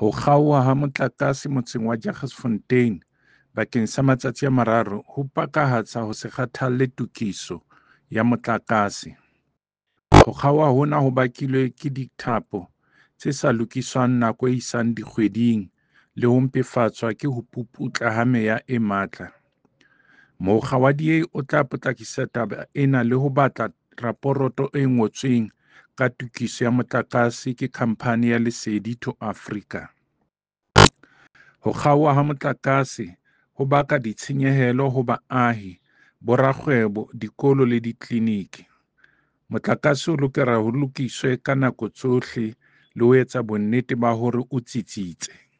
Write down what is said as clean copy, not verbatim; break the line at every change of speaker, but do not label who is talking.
Ho kgaoha ha motlakase motseng wa Jagersfontein bakeng sa matsatsi a mararo ho pakahatsa ho se kgathalle tokiso ya motlakase. Ho kgaoha hona ho bakilwe ke dithapo tse sa lokiswang nako e isang dikgweding le ho mpefatswa ke ho puputla ha meya e matla. Mokga wa DA o tla potlakisa taba ena le ho batla raporoto e ngotsweng ka tokiso ya motlakase ke khamphane ya Lesedi to Africa. Ho kgaoha ha motlakase ho baka ditshenyehelo ho baahi, borakgwebo, dikolo le ditleliniki. Motlakase o lokela ho lokiswe ka nako tsohle le ho etsa bonnete ba hore o tsitsitse.